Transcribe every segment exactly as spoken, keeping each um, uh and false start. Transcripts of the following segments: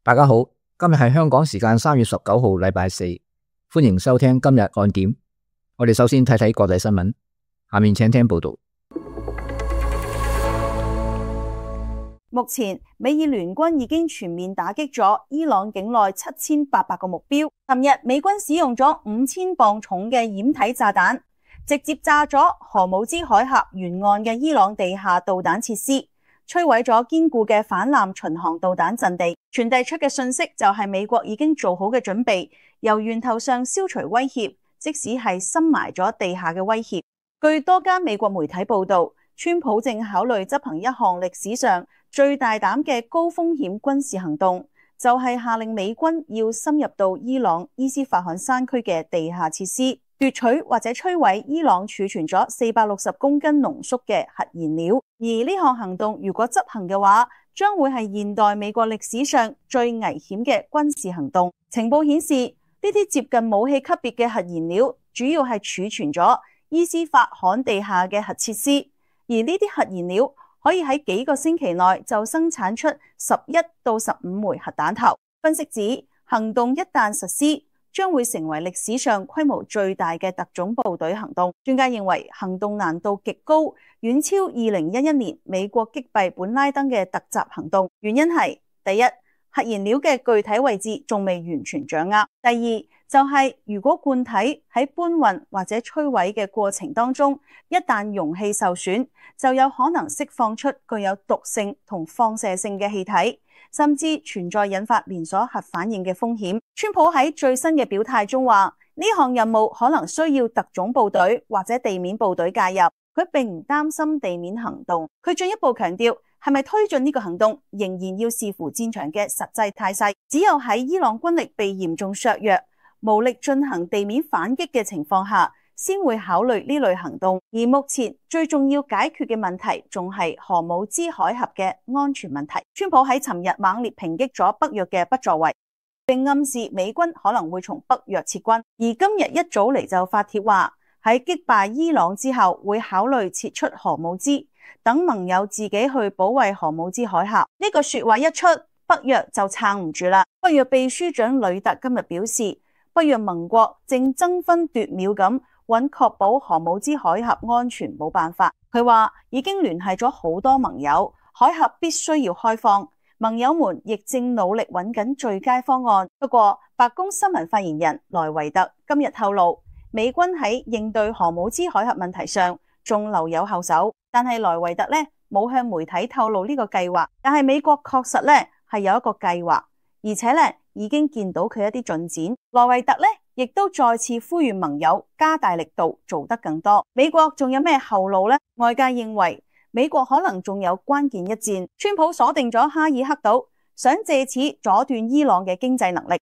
大家好，今日係香港時間三月十九號，禮拜四，歡迎收聽今日看點。我哋首先睇睇國際新聞，下面請聽報道。目前，美伊聯軍已經全面打擊咗伊朗境內七千八百個目標。尋日，美軍使用咗五千磅重嘅掩體炸彈，直接炸咗荷姆茲海峽沿岸嘅伊朗地下導彈設施，摧毀咗堅固嘅反艦巡航導彈陣地。傳遞出嘅信息就係美國已經做好嘅準備，由源頭上消除威脅，即使係深埋咗地下嘅威脅。據多間美國媒體報道，川普正考慮執行一項歷史上最大膽嘅高風險軍事行動，就係下令美軍要深入到伊朗伊斯法罕山區嘅地下設施，奪取或者摧毀伊朗儲存咗四百六十公斤濃縮嘅核燃料。而呢項行動如果執行嘅話，將會係現代美國歷史上最危險嘅軍事行動。情報顯示，呢啲接近武器級別嘅核燃料主要係儲存咗伊斯法罕地下嘅核設施，而呢啲核燃料可以喺幾個星期內就生產出十一到十五枚核彈頭。分析指，行動一旦實施，將會成為歷史上規模最大嘅特種部隊行動。專家認為行動難度極高，遠超二零一一年美國擊斃本拉登嘅突襲行動。原因係第一，核燃料嘅具體位置仲未完全掌握；第二，就係、是、如果罐體喺搬運或者摧毀嘅過程當中，一旦容器受損，就有可能釋放出具有毒性同放射性嘅氣體，甚至存在引發連鎖核反應嘅風險。川普喺最新嘅表態中話，呢項任務可能需要特種部隊或者地面部隊介入，佢並唔擔心地面行動。佢進一步強調，係咪推進呢個行動，仍然要視乎戰場嘅實際態勢。只有喺伊朗軍力被嚴重削弱、無力進行地面反擊嘅情況下，先會考慮呢類行動。而目前最重要解決嘅問題，仲係荷姆茲海峽嘅安全問題。川普喺尋日猛烈抨擊咗北約嘅不作為，並暗示美軍可能會從北約撤軍。而今日一早嚟就發帖話，喺擊敗伊朗之後，會考慮撤出荷姆茲，等盟友自己去保衛荷姆茲海峽。呢個說話一出，北約就撐唔住啦。北約秘書長呂特今日表示，北約盟國正爭分奪秒咁揾確保荷姆茲海峽安全冇辦法。佢話已經聯繫咗好多盟友，海峽必須要開放，盟友們亦正努力揾緊最佳方案。不過白宮新聞發言人萊維特今日透露，美軍喺應對荷姆茲海峽問題上仲留有後手，但係萊維特咧冇向媒體透露呢個計劃。但係美國確實咧係有一個計劃，而且咧已經見到佢一啲進展。萊維特咧亦都再次呼籲盟友加大力度做得更多。美國仲有咩後路呢？外界認為美國可能仲有關鍵一戰。川普鎖定咗哈爾克島，想借此阻斷伊朗嘅經濟能力。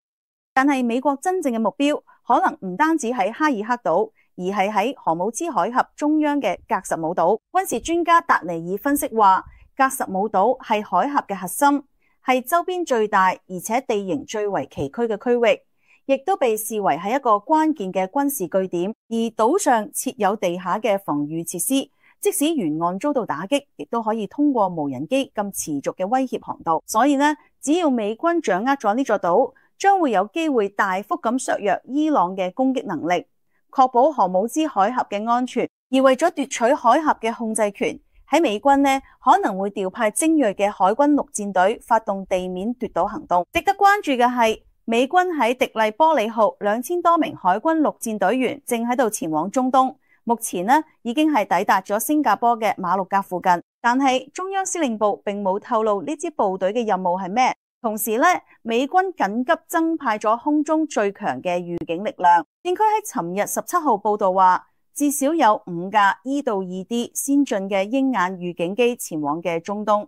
但係美國真正嘅目標可能唔單止喺哈爾克島，而係喺荷姆茲海峽中央嘅格什姆島。軍事專家達尼爾分析話，格什姆島係海峽嘅核心，係周邊最大而且地形最為崎嶇嘅區域，亦都被視為係一個關鍵嘅軍事據點。而島上設有地下嘅防禦設施，即使沿岸遭到打擊，亦都可以通過無人機咁持續嘅威脅航道。所以呢，只要美軍掌握咗呢座島，將會有機會大幅咁削弱伊朗嘅攻擊能力，確保荷姆茲海峽嘅安全。而為咗奪取海峽嘅控制權，喺美軍呢可能會調派精銳嘅海軍陸戰隊發動地面奪島行動。值得關注嘅係，美軍喺迪麗波里號兩千多名海軍陸戰隊員正喺度前往中東，目前呢已經係抵達咗新加坡嘅馬六甲附近。但係中央司令部並冇透露呢支部隊嘅任務係咩。同時咧，美軍緊急增派咗空中最強嘅預警力量。戰區喺尋日十七號報道話，至少有五架 E 到 二 D 先進嘅鷹眼預警機前往嘅中東。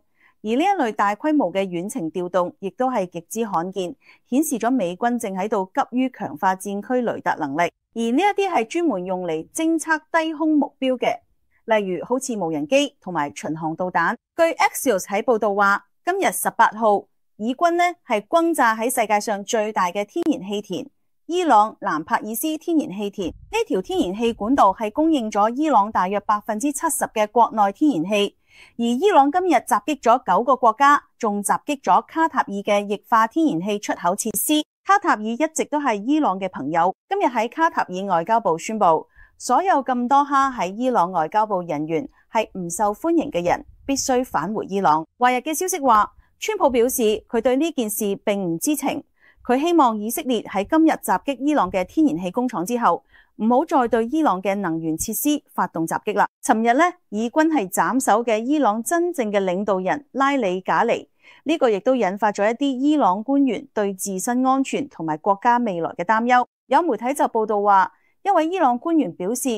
而呢一類大規模嘅遠程調動，亦都係極之罕見，顯示咗美軍正喺度急於強化戰區雷達能力。而呢一啲係專門用嚟偵測低空目標嘅，例如好似無人機同埋巡航導彈。據 Axios 喺報道話，今日十八號。以軍呢係轟炸喺世界上最大嘅天然氣田伊朗蘭帕爾斯天然氣田。呢條天然氣管道係供應咗伊朗大約百分之七十嘅國內天然氣，而伊朗今日襲擊咗九個國家，仲襲擊咗卡塔爾嘅液化天然氣出口設施。卡塔爾一直都係伊朗嘅朋友。今日喺卡塔爾外交部宣布，所有咁多哈喺伊朗外交部人員係唔受歡迎嘅人，必須返回伊朗。華日嘅消息話，川普表示佢對呢件事並唔知情，佢希望以色列喺今日襲擊伊朗嘅天然氣工廠之後，唔好再對伊朗嘅能源設施發動襲擊啦。尋日呢，以軍係斬首嘅伊朗真正嘅領導人拉里賈尼，呢個亦都引發咗一啲伊朗官員對自身安全同埋國家未來嘅擔憂。有媒體就報道話，一位伊朗官員表示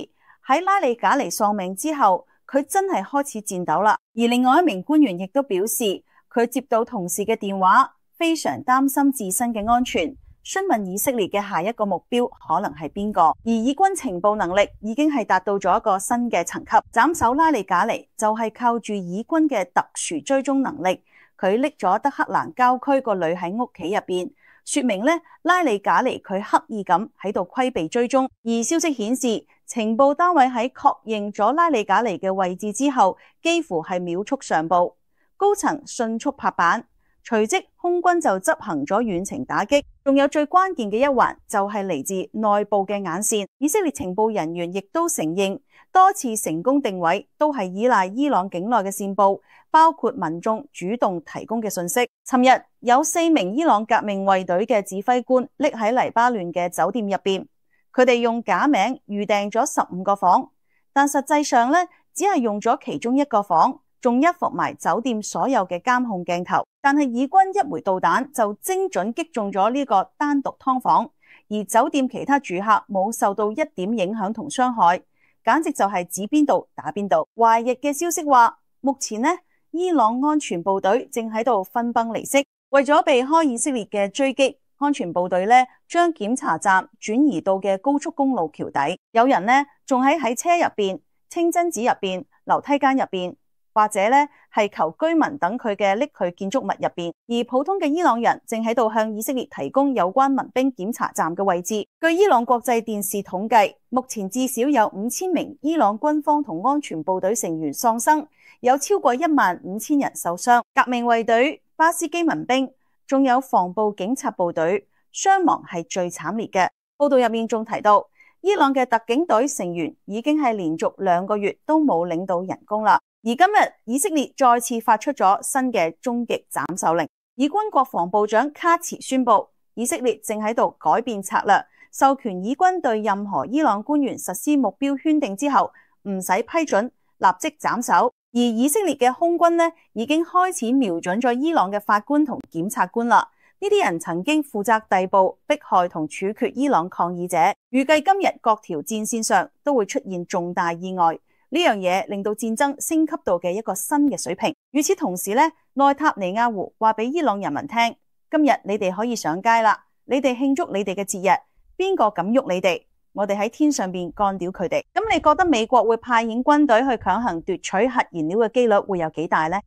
喺拉里賈尼喪命之後，佢真係開始顫抖啦。而另外一名官員亦都表示，佢接到同事嘅電話，非常擔心自身嘅安全，詢問以色列嘅下一個目標可能係邊個。而以軍情報能力已經係達到咗一個新嘅層級，斬首拉里賈尼就係靠住以軍嘅特殊追蹤能力，佢匿咗德黑蘭郊區個女喺屋企入邊，說明咧拉里賈尼佢刻意咁喺度規避追蹤。而消息顯示，情報單位喺確認咗拉里賈尼嘅位置之後，幾乎係秒速上報，高層迅速拍板，隨即空軍就執行咗遠程打擊。仲有最關鍵嘅一環就係嚟自內部嘅眼線，以色列情報人員亦都承認多次成功定位都係依賴伊朗境內嘅線報，包括民眾主動提供嘅信息。尋日有四名伊朗革命衛隊嘅指揮官匿喺黎巴嫩嘅酒店入邊，佢哋用假名預訂咗十五個房，但實際上呢，只係用咗其中一個房，仲一伏埋酒店所有嘅監控鏡頭。但係以軍一枚導彈就精準擊中咗呢個單獨劏房，而酒店其他住客冇受到一點影響同傷害，簡直就係指邊度打邊度。華日嘅消息話，目前呢，伊朗安全部隊正喺度分崩離析，為咗避開以色列嘅追擊，安全部隊呢將檢查站轉移到嘅高速公路橋底，有人呢仲喺喺車入邊、清真寺入邊、樓梯間入邊，或者呢係求居民等佢嘅匿去建築物入邊。而普通嘅伊朗人正喺度向以色列提供有關民兵檢查站嘅位置。據伊朗國際電視統計，目前至少有五千名伊朗軍方同安全部隊成員喪生，有超過一萬五千人受傷。革命衛隊、巴斯基民兵仲有防暴警察部隊傷亡係最慘烈嘅。報道入面仲提到，伊朗嘅特警隊成員已經係連續兩個月都冇領到人工啦。而今日以色列再次發出咗新嘅終極斬首令，以軍國防部長卡茨宣布，以色列正喺度改變策略，授權以軍對任何伊朗官員實施目標圈定之後唔使批准，立即斬首。而以色列嘅空軍呢，已經開始瞄準咗伊朗嘅法官同檢察官啦。呢啲人曾經負責逮捕、迫害同處決伊朗抗議者。預計今日各條戰線上都會出現重大意外。呢樣嘢令到戰爭升級到嘅一個新嘅水平。與此同時呢，內塔尼亞胡話俾伊朗人民聽，今日你哋可以上街啦，你哋慶祝你哋嘅節日，邊個敢喐你哋，我哋喺天上邊幹掉佢哋。咁你覺得美國會派遣軍隊去強行奪取核燃料嘅機率會有幾大呢？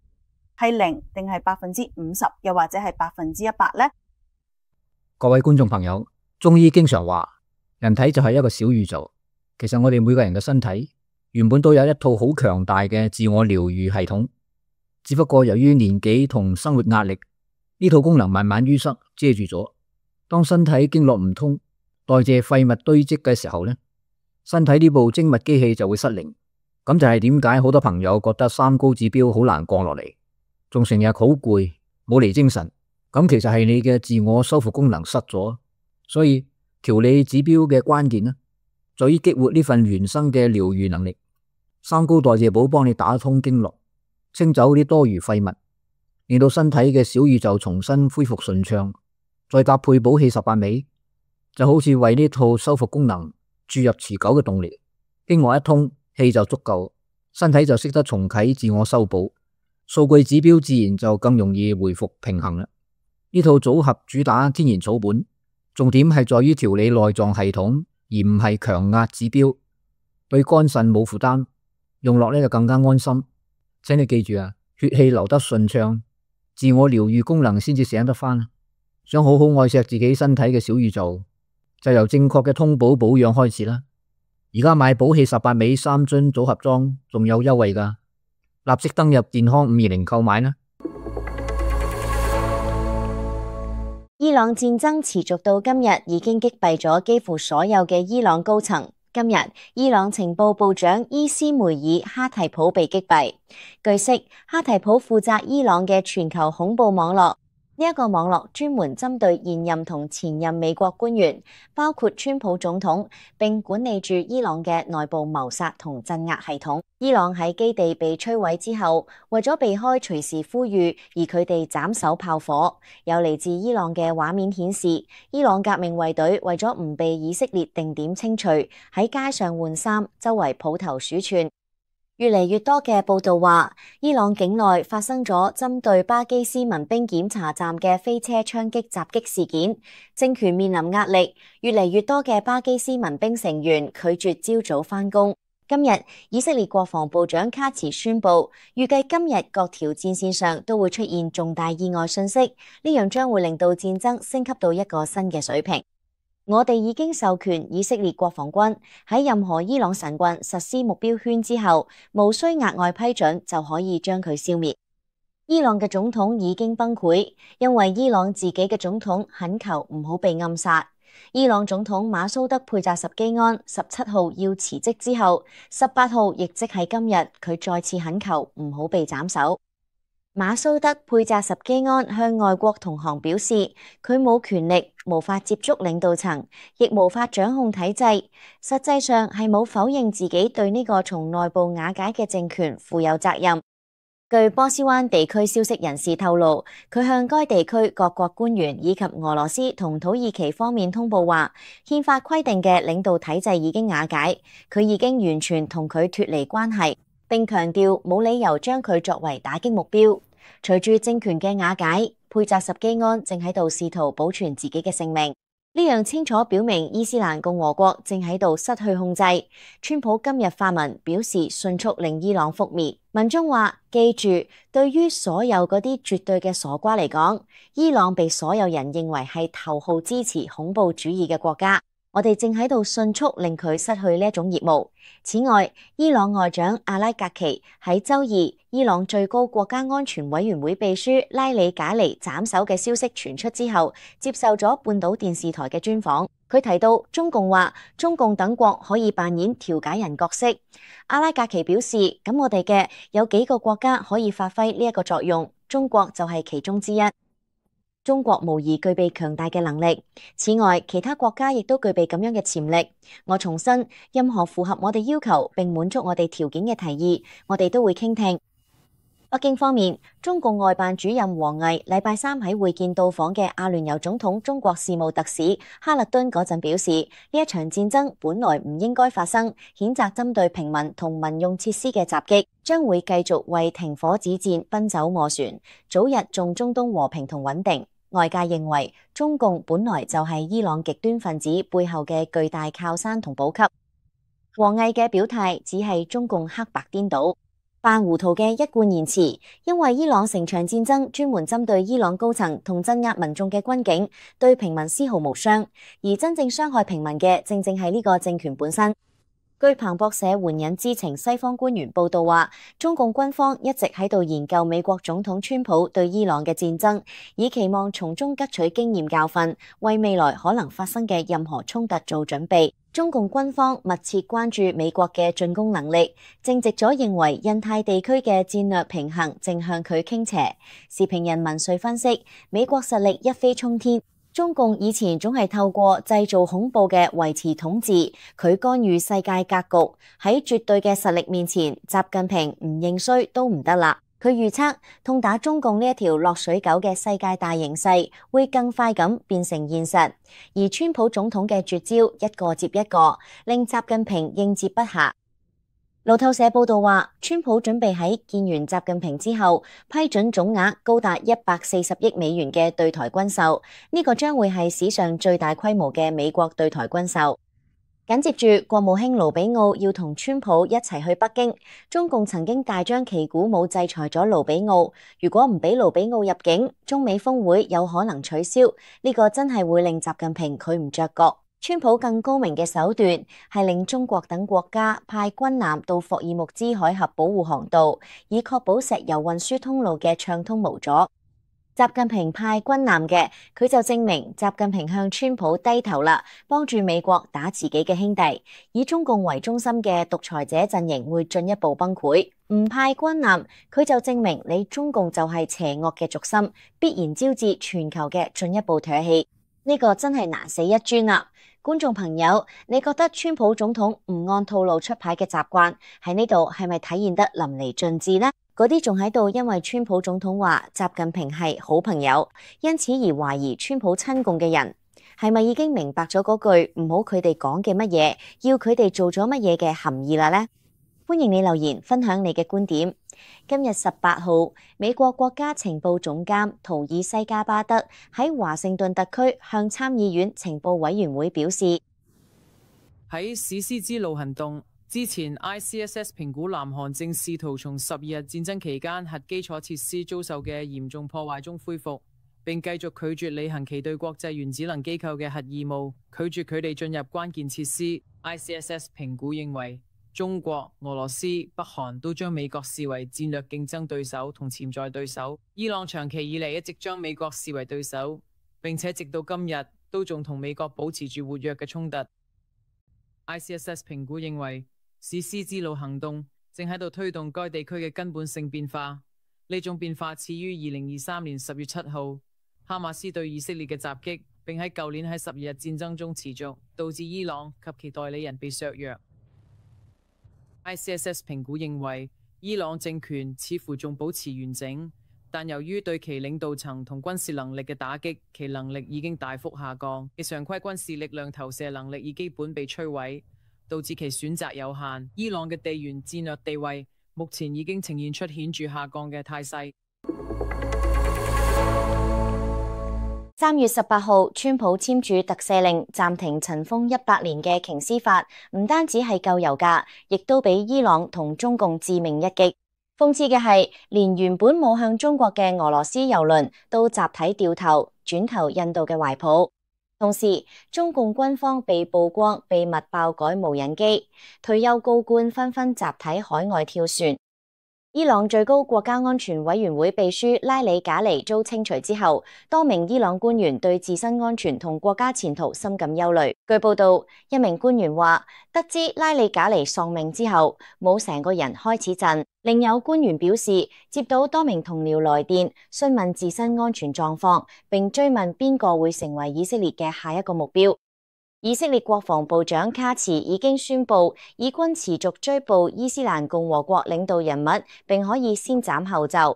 係零定係百分之五十，又或者係百分之一百呢？各位觀眾朋友，中醫經常話人體就係一個小宇宙，其實我哋每個人嘅身體原本都有一套好強大嘅自我療愈系統，只不過由於年紀同生活壓力，呢套功能慢慢淤塞遮住咗。當身體經絡唔通，代謝廢物堆積嘅時候呢，身體呢部精密機器就會失靈。咁就係點解好多朋友覺得三高指標好難降落嚟，仲成日好攰，冇嚟精神。咁其實係你嘅自我修復功能失咗。所以調理指標嘅關鍵呢，在於激活呢份原生嘅療愈能力。三高代謝寶幫你打通經絡，清走啲多餘廢物，令到身體嘅小宇宙重新恢復順暢。再搭配補氣十八味，就好似為呢套修復功能注入持久嘅動力。經絡一通，氣就足夠，身體就識得重啟自我修補，數據指標自然就更容易回復平衡啦。呢套組合主打天然草本，重點係在於調理內臟系統，而唔係強壓指標，對肝腎冇負擔。用落呢就更加安心，請你記住啊，血氣流得順暢，自我療愈功能先至醒得返。想好好愛錫自己身體嘅小宇宙，就由正確嘅通補保養開始啦。而家買補氣十八味三樽組合裝仲有優惠㗎，立即登入健康五二零購買啦。伊朗戰爭持續到今日，已經擊斃咗幾乎所有嘅伊朗高層。今日，伊朗情報部長伊斯梅爾哈提普被擊斃。據悉，哈提普負責伊朗嘅全球恐怖網絡。呢一個網絡專門針對現任同前任美國官員，包括川普總統，並管理住伊朗嘅內部謀殺同鎮壓系統。伊朗喺基地被摧毀之後，為咗避開隨時呼籲，而佢哋斬首炮火。有嚟自伊朗嘅畫面顯示，伊朗革命衛隊為咗唔被以色列定點清除，喺街上換衫，周圍抱頭鼠竄。越嚟越多嘅報道話，伊朗境內發生咗針對巴基斯民兵檢查站嘅飛車槍擊襲擊事件，政權面臨壓力。越嚟越多嘅巴基斯民兵成員拒絕朝早返工。今日，以色列國防部長卡茨宣布，預計今日各條戰線上都會出現重大意外信息，呢樣將會令到戰爭升級到一個新嘅水平。我哋已經授權以色列國防軍喺任何伊朗神棍實施目標圈之後，無需額外批准就可以將佢消滅。伊朗嘅總統已經崩潰，因為伊朗自己嘅總統懇求唔好被暗殺。伊朗總統馬蘇德佩扎什基安十七號要辭職之後，十八號亦即係今日，佢再次懇求唔好被斬首。馬蘇德佩扎什基安向外國同行表示，佢冇權力，無法接觸領導層，亦無法掌控體制。實際上係冇否認自己對呢個從內部瓦解嘅政權負有責任。據波斯灣地區消息人士透露，佢向該地區各國官員以及俄羅斯同土耳其方面通報話，憲法規定嘅領導體制已經瓦解，佢已經完全同佢脫離關係。並強調冇理由將佢作為打擊目標。隨住政權嘅瓦解，佩扎什基安正喺度試圖保存自己嘅性命。呢樣清楚表明伊斯蘭共和國正喺度失去控制。川普今日發文表示，迅速令伊朗覆滅。文中話：記住，對於所有嗰啲絕對嘅傻瓜嚟講，伊朗被所有人認為係頭號支持恐怖主義嘅國家。我哋正喺度迅速令佢失去呢一種業務。此外，伊朗外長阿拉格奇喺周二，伊朗最高國家安全委員會秘書拉里賈尼斬首嘅消息傳出之後，接受咗半島電視台嘅專訪。佢提到中共話，中共等國可以扮演調解人角色。阿拉格奇表示，咁我哋嘅有幾個國家可以發揮呢一個作用，中國就係其中之一。中國無疑具備強大嘅能力，此外，其他國家亦都具備咁樣嘅潛力。我重申，任何符合我哋要求並滿足我哋條件嘅提議，我哋都會傾聽。北京方面，中共外辦主任王毅禮拜三喺會見到訪嘅阿聯酋總統中國事務特使哈勒敦嗰陣表示，呢一場戰爭本來唔應該發生，譴責針對平民同民用設施嘅襲擊，將會繼續為停火止戰奔走磨船，早日重中東和平同穩定。外界認為中共本來就係伊朗極端分子背後嘅巨大靠山同補給。王毅嘅表態只係中共黑白顛倒、扮糊塗嘅一貫言辭，因為伊朗成場戰爭專門針對伊朗高層同鎮壓民眾嘅軍警，對平民絲毫無傷，而真正傷害平民嘅正正係呢個政權本身。據彭博社援引知情西方官員報道話，中共軍方一直喺度研究美國總統川普對伊朗嘅戰爭，以期望從中汲取經驗教訓，為未來可能發生嘅任何衝突做準備。中共軍方密切關注美國嘅進攻能力，正直咗認為印太地區嘅戰略平衡正向佢傾斜。時評人文瑞分析，美國實力一飛沖天。中共以前總係透過製造恐怖嘅維持統治，佢干預世界格局。喺絕對嘅實力面前，習近平唔認衰都唔得啦。佢預測痛打中共呢一條落水狗嘅世界大形勢會更快咁變成現實，而川普總統嘅絕招一個接一個，令習近平應接不暇。路透社報道話，川普準備喺見完習近平之後，批准總額高達一百四十億美元嘅對台軍售，呢個將會係史上最大規模嘅美國對台軍售。緊接住，國務卿盧比奧要同川普一齊去北京。中共曾經大張旗鼓舞制裁咗盧比奧，如果唔俾盧比奧入境，中美峰會有可能取消。呢個真係會令習近平佢唔着角。川普更高明嘅手段係令中國等國家派軍艦到霍爾木茲海峽保護航道，以確保石油運輸通路嘅暢通無阻。習近平派軍艦嘅，佢就證明習近平向川普低頭啦，幫住美國打自己嘅兄弟。以中共為中心嘅獨裁者陣營會進一步崩潰。唔派軍艦，佢就證明你中共就係邪惡嘅軸心，必然招致全球嘅進一步唾棄。呢個真係難死一尊啦！觀眾朋友，你覺得川普總統唔按套路出牌嘅習慣喺呢度係咪體現得淋漓盡致呢？嗰啲仲喺度因為川普總統話習近平係好朋友，因此而懷疑川普親共嘅人，係咪已經明白咗嗰句唔好佢哋講嘅乜嘢，要佢哋做咗乜嘢嘅含義啦呢？歡迎你留言分享你嘅觀點。今日十八號，美國國家情報總監圖爾西加巴德喺華盛頓特區向參議院情報委員會表示，喺史詩之路行動之前 ，I C S S 評估南韓正試圖從十二日戰爭期間核基礎設施遭受嘅嚴重破壞中恢復，並繼續拒絕履行其對國際原子能機構嘅核義務，拒絕佢哋進入關鍵設施。I C S S 評估認為，中國、俄羅斯、北韓都將美國視為戰略競爭對手同潛在對手。伊朗長期以嚟一直將美國視為對手，並且直到今日都仲同美國保持住活躍嘅衝突。I C S S 評估認為，史詩之路行動正喺度推動該地區嘅根本性變化。呢種變化始於二零二三年十月七號，哈馬斯對以色列嘅襲擊，並喺舊年喺十二日戰爭中持續，導致伊朗及其代理人被削弱。I C S S 評估認為，伊朗政權似乎仲保持完整，但由於對其領導層同軍事能力嘅打擊，其能力已經大幅下降，其常規軍事力量投射能力已基本被摧毀，導致其選擇有限。伊朗嘅地緣戰略地位目前已經呈現出顯著下降嘅態勢。三月十八號，川普簽署特赦令，暫停塵封一百年嘅瓊斯法，唔單止係夠油價，亦都俾伊朗同中共致命一擊。諷刺嘅係，連原本冇向中國嘅俄羅斯郵輪都集體掉頭轉投印度嘅懷抱。同時，中共軍方被曝光秘密爆改無人機，退休高官紛紛集體海外跳船。伊朗最高國家安全委員會秘書拉里賈尼遭清除之後，多名伊朗官員對自身安全同國家前途深感憂慮。據報道，一名官員話，得知拉里賈尼喪命之後，冇成個人開始震。另有官員表示，接到多名同僚來電，詢問自身安全狀況，並追問邊個會成為以色列嘅下一個目標。以色列國防部長卡茨已經宣布，以軍持續追捕伊斯蘭共和國領導人物，並可以先斬後奏。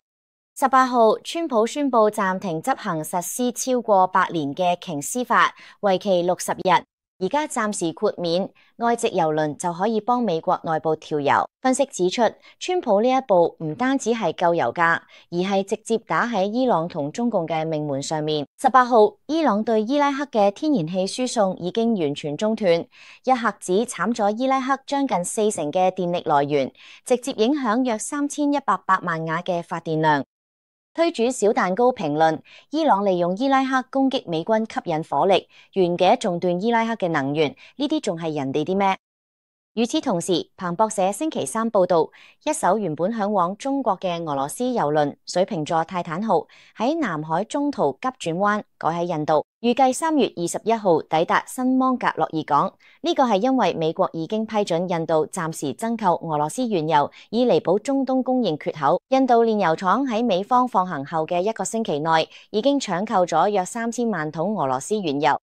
十八號，川普宣布暫停執行實施超過百年嘅瓊斯法，為期六十日。而家暫時豁免外籍郵輪就可以幫美國內部調油。分析指出，川普呢一步唔單止係救油價，而係直接打喺伊朗同中共嘅命門上面。十八號，伊朗對伊拉克嘅天然氣輸送已經完全中斷，一核子慘咗伊拉克將近四成嘅電力來源，直接影響約三千一百八萬瓦嘅發電量。推主小蛋糕評論，伊朗利用伊拉克攻擊美軍吸引火力，原嘅仲斷伊拉克嘅能源，呢啲仲係人哋啲咩？與此同時，彭博社星期三報道，一艘原本響往中國嘅俄羅斯郵輪水瓶座泰坦號喺南海中途急轉彎，改喺印度，預計三月二十一號抵達新芒格洛爾港。呢個係因為美國已經批准印度暫時增購俄羅斯原油，以彌補中東供應缺口。印度煉油廠喺美方放行後嘅一個星期內，已經搶購咗約三千萬桶俄羅斯原油。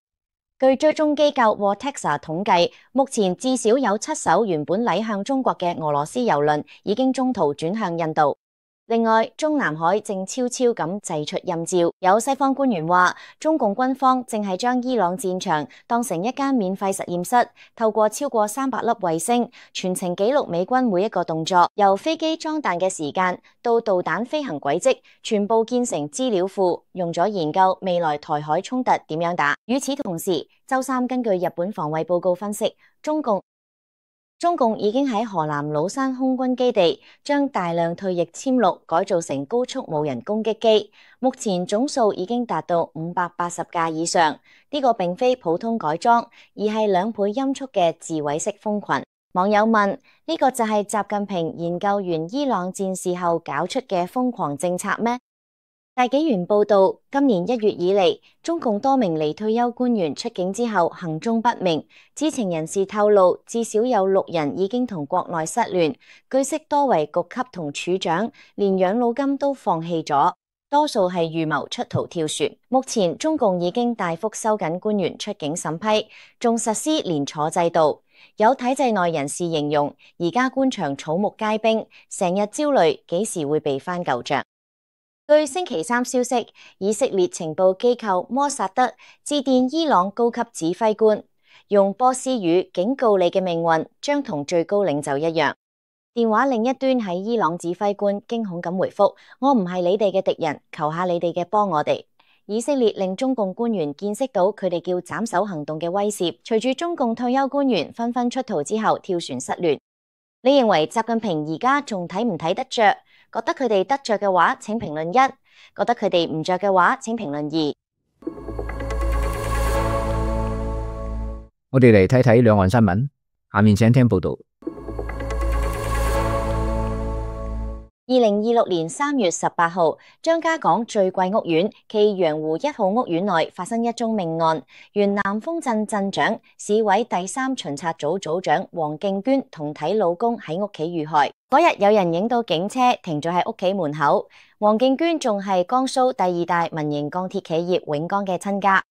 據追蹤機構 Vortexa 統計，目前至少有七艘原本駛向中國嘅俄羅斯郵輪已經中途轉向印度。另外，中南海正悄悄咁祭出陰招，有西方官員話，中共軍方正係將伊朗戰場當成一間免費實驗室，透過超過三百粒衛星，全程記錄美軍每一個動作，由飛機裝彈嘅時間到導彈飛行軌跡，全部建成資料庫，用咗研究未來台海衝突點樣打。與此同時，周三根據日本防衛報告分析，中共中共已經喺河南魯山空軍基地將大量退役殲六改造成高速無人攻擊機，目前總數已經達到五百八十架以上。呢個並非普通改裝，而係兩倍音速嘅自毀式蜂群。網友問：呢個就係習近平研究完伊朗戰事後搞出嘅瘋狂政策咩？大紀元報道，今年一月以嚟，中共多名離退休官員出境之後行蹤不明。知情人士透露，至少有六人已經同國內失聯，據悉多為局級同處長，連養老金都放棄咗，多數係預謀出逃跳船。目前中共已經大幅收緊官員出境審批，仲實施連坐制度。有體制內人士形容，而家官場草木皆兵，成日焦慮幾時會被翻舊賬。據星期三消息，以色列情報機構摩薩德致電伊朗高級指揮官，用波斯語警告你嘅命運將同最高領袖一樣。電話另一端喺伊朗指揮官驚恐咁回覆：我唔係你哋嘅敵人，求下你哋嘅幫我哋。以色列令中共官員見識到佢哋叫斬首行動嘅威懾。隨住中共退休官員紛紛出逃之後跳船失聯，你認為習近平而家仲睇唔睇得着？覺得佢哋得着嘅話，請評論一；覺得佢哋唔着嘅話，請評論二。我哋嚟睇睇兩岸新聞，下面請聽報道。二零二六年三月十八號，張家港最貴屋苑暨洋湖一號屋苑內發生一宗命案，原南豐鎮鎮長、市委第三巡察組組長黃敬娟同體老公喺屋企遇害。嗰日有人影到警車停咗喺屋企門口，黃敬娟仲係江蘇第二大民營鋼鐵企業永鋼嘅親家。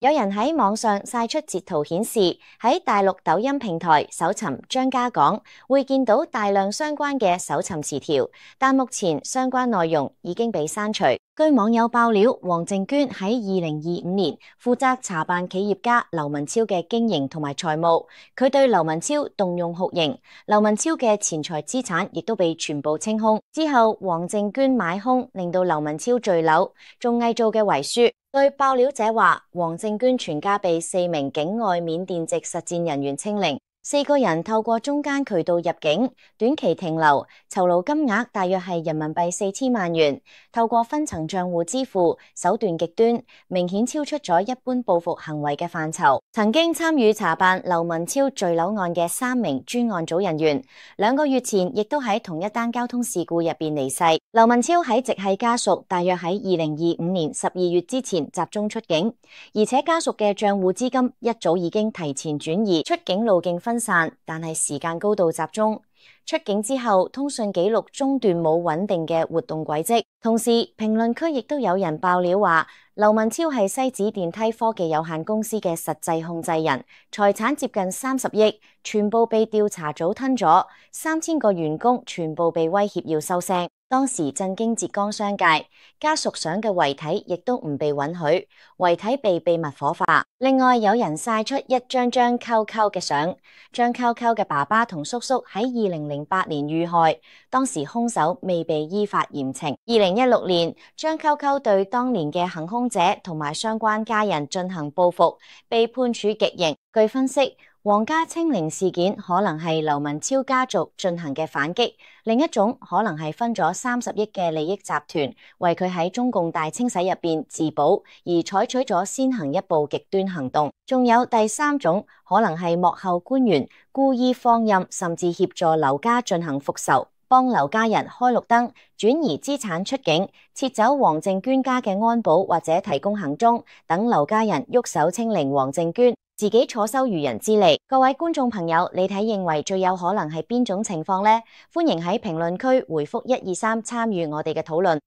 有人喺網上晒出截圖顯示，喺大陸抖音平台搜尋張家港，會見到大量相關嘅搜尋詞條，但目前相關內容已經被刪除。據網友爆料，黃敬娟喺二零二五年負責查辦企業家劉文超嘅經營同埋財務，佢對劉文超動用酷刑，劉文超嘅錢財資產亦都被全部清空。之後，黃敬娟買空，令到劉文超墜樓，仲偽造嘅遺書。據爆料者話，黃敬娟全家被四名境外緬甸籍實戰人員清零，四個人透過中間渠道入境，短期停留，酬勞金額大約係人民幣四千萬元，透過分層賬戶支付，手段極端，明顯超出咗一般報復行為嘅範疇。曾經參與查辦劉文超墜樓案嘅三名專案組人員，兩個月前亦都喺同一單交通事故入邊離世。劉文超喺直系家屬大約喺二零二五年十二月之前集中出境，而且家屬嘅賬戶資金一早已經提前轉移，出境路徑分散，但係時間高度集中。出境之後，通訊記錄中斷，冇穩定嘅活動軌跡。同時，評論區亦都有人爆料話，劉文超係西子電梯科技有限公司嘅實際控制人，財產接近三十億，全部被調查組吞咗，三千個員工全部被威脅要收聲。當時震驚浙江商界，家屬想嘅遺體亦都唔被允許，遺體被秘密火化。另外有人晒出一張張溝溝嘅相，張溝溝嘅爸爸同叔叔喺二零零八年遇害，當時兇手未被依法嚴懲。二零一六年，張溝溝對當年嘅行兇者同埋相關家人進行報復，被判處極刑。據分析，皇家清零事件可能係劉文超家族進行嘅反擊，另一種可能係分咗三十億嘅利益集團為佢喺中共大清洗入邊自保而採取咗先行一步極端行動，仲有第三種可能係幕後官員故意放任甚至協助劉家進行復仇，幫劉家人開綠燈，轉移資產出境，撤走黃敬娟家嘅安保或者提供行蹤，等劉家人喐手清零黃敬娟，自己坐收漁人之利。各位觀眾朋友，你睇認為最有可能係邊種情況呢？歡迎喺評論區回覆一二三參與我哋嘅討論。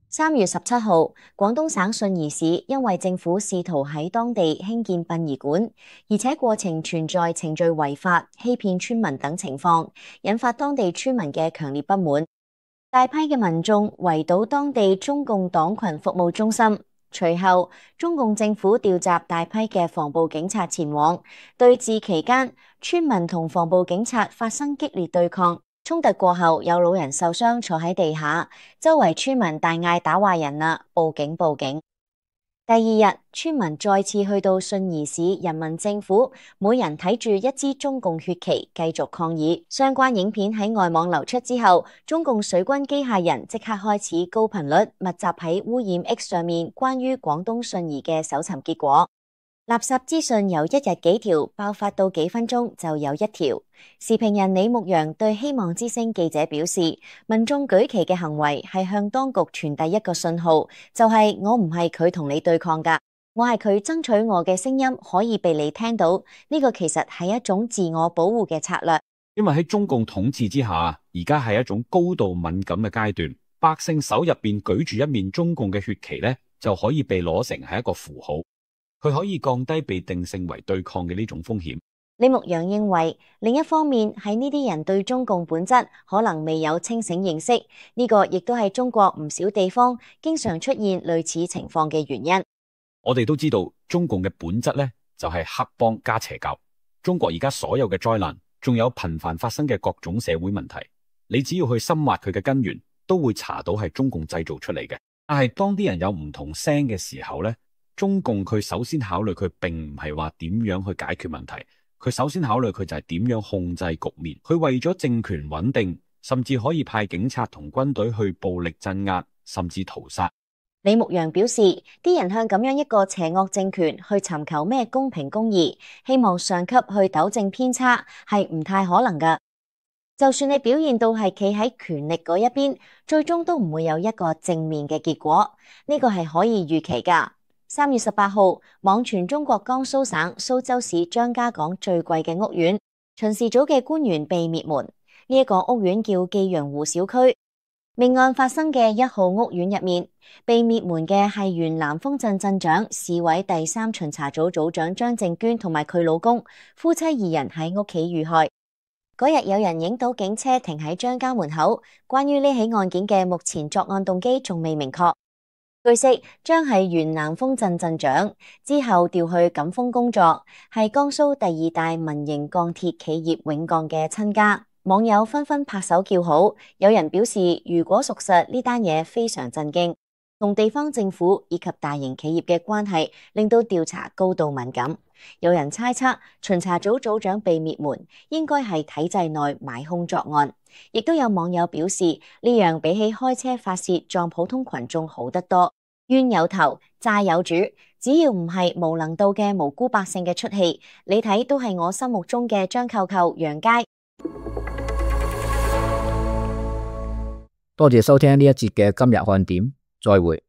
三月十七號，廣東省信義市因為政府試圖喺當地興建殯儀館，而且過程存在程序違法、欺騙村民等情況，引發當地村民嘅強烈不滿。大批嘅民眾圍堵當地中共黨群服務中心。隨後，中共政府調集大批嘅防暴警察前往對峙期間，村民同防暴警察發生激烈對抗。衝突過後，有老人受傷坐喺地下，周圍村民大嗌打壞人啦，報警報警。第二日，村民再次去到信宜市人民政府，每人睇住一支中共血旗，繼續抗議。相關影片喺外網流出之後，中共水軍機械人即刻開始高頻率密集喺污染 X 上面關於廣東信宜嘅搜尋結果。垃圾資訊由一日幾條爆發到幾分鐘就有一條。時評人李牧陽對希望之聲記者表示，民眾舉旗嘅行為係向當局傳遞一個信號，就係、是、我唔係佢同你對抗㗎，我係佢爭取我嘅聲音可以被你聽到。呢、這個其實係一種自我保護嘅策略。因為喺中共統治之下，而家係一種高度敏感嘅階段，百姓手入邊舉住一面中共嘅血旗呢，就可以被攞成係一個符號。佢可以降低被定性為對抗嘅呢種風險。李牧陽認為，另一方面係呢啲人對中共本質可能未有清醒認識，呢、這個亦都係中國唔少地方經常出現類似情況嘅原因。我哋都知道中共嘅本質呢，就係黑幫加邪教。中國而家所有嘅災難，仲有頻繁發生嘅各種社會問題，你只要去深挖佢嘅根源，都會查到係中共製造出嚟嘅。但係當啲人有唔同聲嘅時候呢，中共佢首先考慮佢並唔係話點樣去解決問題，佢首先考慮佢就係點樣控制局面。佢為咗政權穩定，甚至可以派警察同軍隊去暴力鎮壓，甚至屠殺。李牧陽表示，啲人向咁樣一個邪惡政權去尋求咩公平公義，希望上級去糾正偏差，係唔太可能㗎。就算你表現到係企喺權力嗰一邊，最終都唔會有一個正面嘅結果。呢個係可以預期㗎。三月十八號，網傳中國江蘇省蘇州市張家港最貴嘅屋苑，巡視組嘅官員被滅門。呢、這、一個屋苑叫寄陽湖小區。命案發生嘅一號屋苑入面，被滅門嘅係原南豐鎮鎮長、市委第三巡查組組長張靜娟同埋佢老公，夫妻二人喺屋企遇害。嗰日有人影到警車停喺張家門口。關於呢起案件嘅目前作案動機仲未明確。據悉，張係原南豐鎮鎮長，之後調去錦豐工作，係江蘇第二大民營鋼鐵企業永鋼嘅親家。網友紛紛拍手叫好，有人表示如果屬實，呢單嘢非常震驚，同地方政府以及大型企業嘅關係令到調查高度敏感。有人猜測巡查組組長被滅門應該係體制內買兇作案，亦都有網友表示呢樣比起開車發洩撞普通群眾好得多。冤有頭，債有主，只要唔係無能到嘅無辜百姓嘅出氣，你睇都係我心目中嘅張扣扣楊佳。多謝收聽呢一節嘅今日看點，再會。